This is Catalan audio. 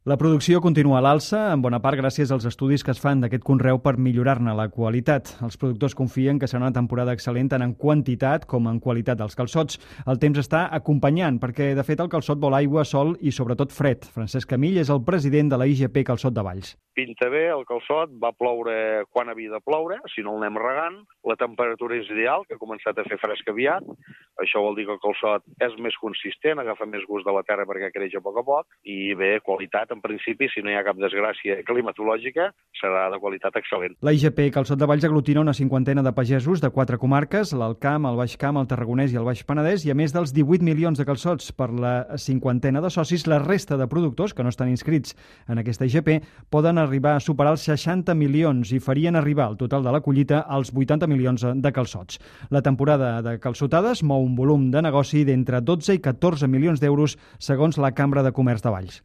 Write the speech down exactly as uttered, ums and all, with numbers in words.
La producció continua a l'alça, en bona part gràcies als estudis que es fan d'aquest conreu per millorar-ne la qualitat. Els productors confien que serà una temporada excel·lent tant en quantitat com en qualitat dels calçots. El temps està acompanyant, perquè de fet el calçot vol aigua, sol i sobretot fred. Francesc Camil és el president de la I G P Calçot de Valls. Pinta bé el calçot, va ploure quan havia de ploure, si no el anem regant. La temperatura és ideal, que ha començat a fer fresc aviat. Això vol dir que el calçot és més consistent, agafa més gust de la terra perquè creix a poc a poc. I bé, qualitat, en principi, si no hi ha cap desgràcia climatològica, serà de qualitat excel·lent. La I G P Calçot de Valls aglutina una cinquantena de pagesos de quatre comarques, l'Alt Camp, el Baix Camp, el Tarragonès i el Baix Penedès, i a més dels divuit milions de calçots per la cinquantena de socis, la resta de productors que no estan inscrits en aquesta I G P poden arribar a superar els seixanta milions i farien arribar el total de la collita als vuitanta milions de calçots. La temporada de calçotades mou un volum de negoci d'entre dotze i catorze milions d'euros segons la Cambra de Comerç de Valls.